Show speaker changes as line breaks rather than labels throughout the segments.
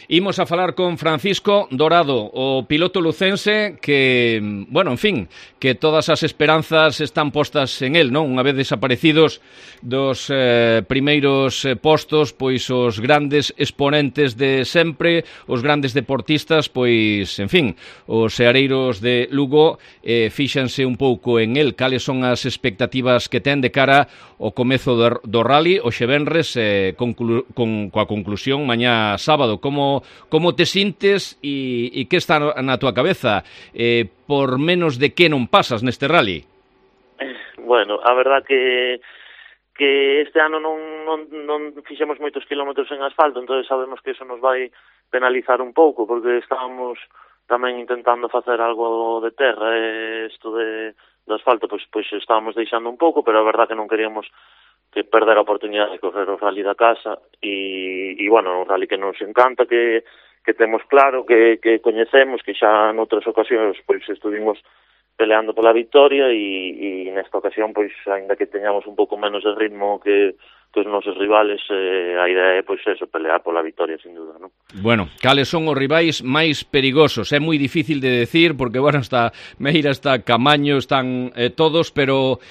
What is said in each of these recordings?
Imos a falar con Francisco Dorado, o piloto lucense que, bueno, en fin, que todas as esperanzas están postas en él, non? Unha vez desaparecidos dos primeiros postos, pois os grandes exponentes de sempre, os grandes deportistas, pois, en fin, os seareiros de Lugo fíxanse un pouco en él. Cales son as expectativas que ten de cara ao comezo do rally, hoxe venres, coa conclusión mañá sábado? Como te sintes e que está na túa cabeza? Por menos de que non pasas neste rally?
Bueno, a verdad que este ano non fixemos moitos kilómetros en asfalto, entonces sabemos que eso nos vai penalizar un pouco, porque estábamos tamén intentando facer algo de terra, isto do asfalto, pois estábamos deixando un pouco, pero a verdad que non queríamos que perder a oportunidade de correr o rally da casa e bueno, un rally que nos encanta, que temos claro, que coñecemos, que xa noutras ocasións pois estuvimos peleando pola victoria e nesta ocasión, pois, aínda que teñamos un pouco menos de ritmo que os nosos rivales, a idea é, pois, eso, pelear pola victoria, sin duda, non?
Bueno, cales son os rivais máis perigosos? É moi difícil de decir, porque, bueno, está Meira, está Camaño, están todos, pero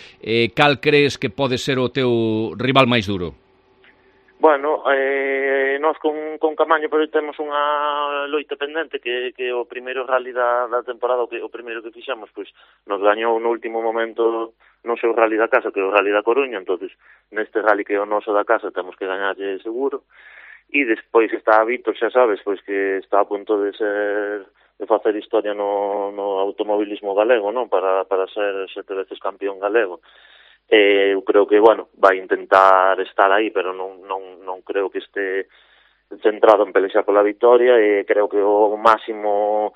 cal crees que pode ser o teu rival máis duro?
Bueno, nós con Camaño pero temos unha loita pendente que o primeiro rally da temporada, o primeiro que fixamos, pois nos gañou no último momento no seu rally da casa, que é o rally da Coruña, entonces neste rally que é o noso da casa temos que gañarlle seguro. E despois está Víctor, xa sabes, pois que está a punto de facer historia no automobilismo galego, non? Para ser 7 veces campeón galego. Eu creo que, bueno, vai intentar estar aí, pero non creo que este centrado en pelexar pola victoria, e creo que o máximo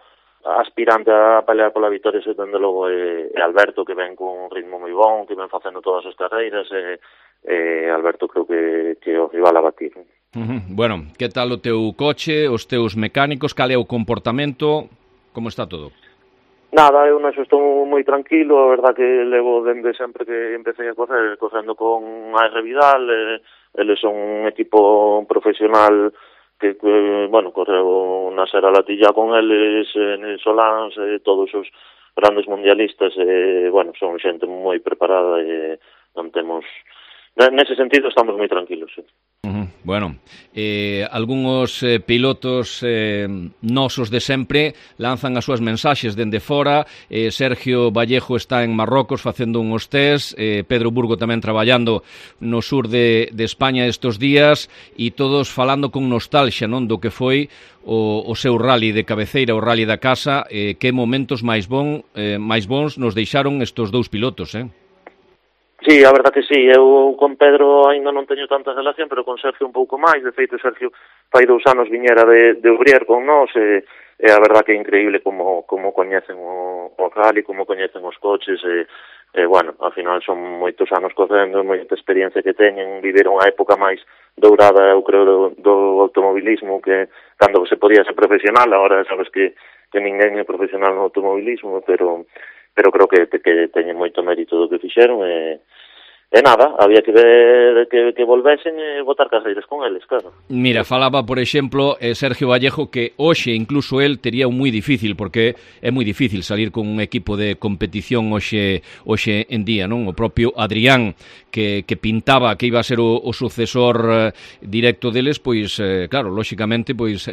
aspirante a pelear pola victoria dende logo é Alberto, que ven con un ritmo moi bon, que ven facendo todas as carreiras, e Alberto creo que o rival a batir.
Bueno, que tal o teu coche, os teus mecánicos, cal é o comportamento, como está todo?
Nada, eu naxo estou moi tranquilo, a verdad que levo dende sempre que empecé a correndo con AR Vidal, eles son un equipo profesional que bueno, correu na Sera Latilla con eles, en Solans, todos os grandes mundialistas, bueno, son xente moi preparada e non temos... Nese sentido estamos moi tranquilos, sí.
Bueno, algúns pilotos nosos de sempre lanzan as súas mensaxes dende fora. Sergio Vallejo está en Marrocos facendo uns test, Pedro Burgo tamén traballando no sur de España estes días, e todos falando con nostalgia, non, do que foi o seu rally de cabeceira, o rally da casa. Que momentos máis bons nos deixaron estes dous pilotos,
Sí, a verdad que sí, eu con Pedro ainda non teño tanta relación, pero con Sergio un pouco máis. De feito, Sergio fai 2 anos viñera de Ubrier con nós, e a verdad que é increíble como coñecen o rally, como coñecen os coches, bueno, ao final son moitos anos correndo, moita experiencia que teñen, viveron a época máis dourada, eu creo, do automobilismo, que cando se podía ser profesional, agora sabes que ninguén é profesional no automobilismo, pero creo que teñen moito mérito do que fixeron, e nada, había que ver que volvesen e botar carreiras con eles, claro.
Mira, falaba, por exemplo, Sergio Vallejo, que hoxe incluso el tería un moi difícil, porque é moi difícil salir con un equipo de competición hoxe en día, non? O propio Adrián, que pintaba que iba a ser o sucesor directo deles, pois, claro, lóxicamente, pois,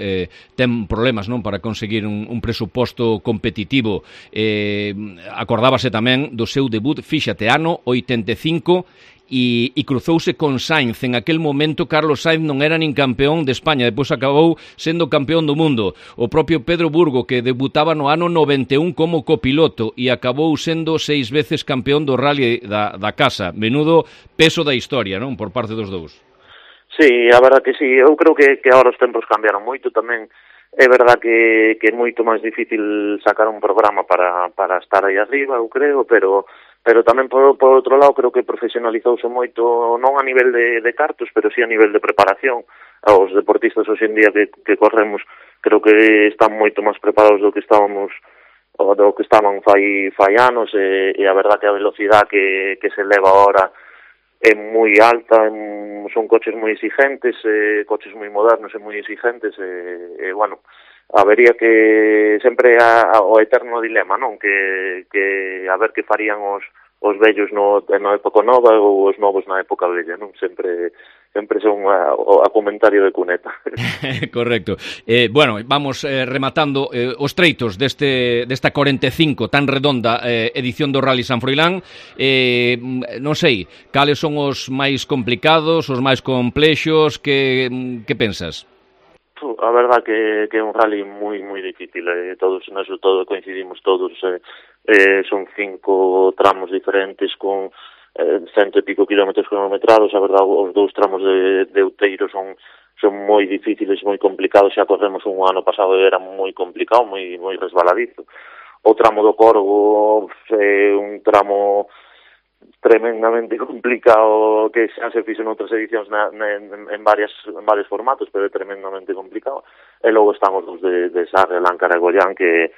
ten problemas, non? Para conseguir un presuposto competitivo. Acordábase tamén do seu debut, fíxate, ano 85, e cruzouse con Sainz. En aquel momento Carlos Sainz non era nin campeón de España, depois acabou sendo campeón do mundo. O propio Pedro Burgo, que debutaba no ano 91 como copiloto e acabou sendo 6 veces campeón do rally da casa. Menudo peso da historia, non? Por parte dos dous.
Sí, a verdad que sí. Eu creo que agora os tempos cambiaron moito tamén. É verdad que é moito máis difícil sacar un programa para estar aí arriba, eu creo, pero tamén por outro lado creo que profesionalizouse moito, non a nivel de cartos, pero sí a nivel de preparación. Os deportistas hoxe en día que corremos creo que están moito máis preparados do que estaban fai anos, e a verdad que a velocidade que se leva agora é moi alta, son coches moi exigentes, coches moi modernos e moi exigentes, bueno, habería que sempre o eterno dilema, non? Que a ver que farían os vellos na época nova ou os novos na época vella, non? Sempre son a comentario de cuneta.
Correcto. Bueno, vamos rematando os treitos desta 45 tan redonda edición do Rally San Froilán. Non sei, cales son os máis complicados, os máis complexos, que pensas?
A verdad que é un rally moi difícil, todos neso todo coincidimos todos, son 5 tramos diferentes con 100 e pico kilómetros cronometrados. A verdad, os 2 tramos de Outeiro son moi difíciles, moi complicados. Xa corremos un ano pasado e era moi complicado, moi resbaladizo. O tramo do Corgo é un tramo tremendamente complicado, que xa se fixo en outras edicións en varios formatos, pero é tremendamente complicado. E logo están os dos de Sarre, Láncara e Goián, que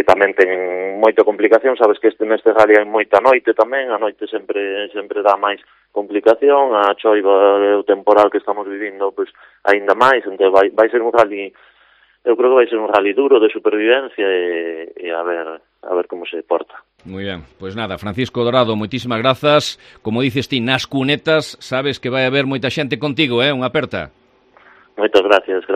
tamén ten moita complicación. Sabes que neste rally hai moita noite tamén, a noite sempre dá máis complicación, a choiva e o temporal que estamos vivindo, pois aínda máis. Entón vai ser un rally, eu creo que vai ser un rally duro de supervivencia e a ver como se porta.
Moi ben, pois nada, Francisco Dorado, moitísimas grazas. Como dices ti, nas cunetas, sabes que vai haber moita xente contigo, unha aperta.
Moitas gracias.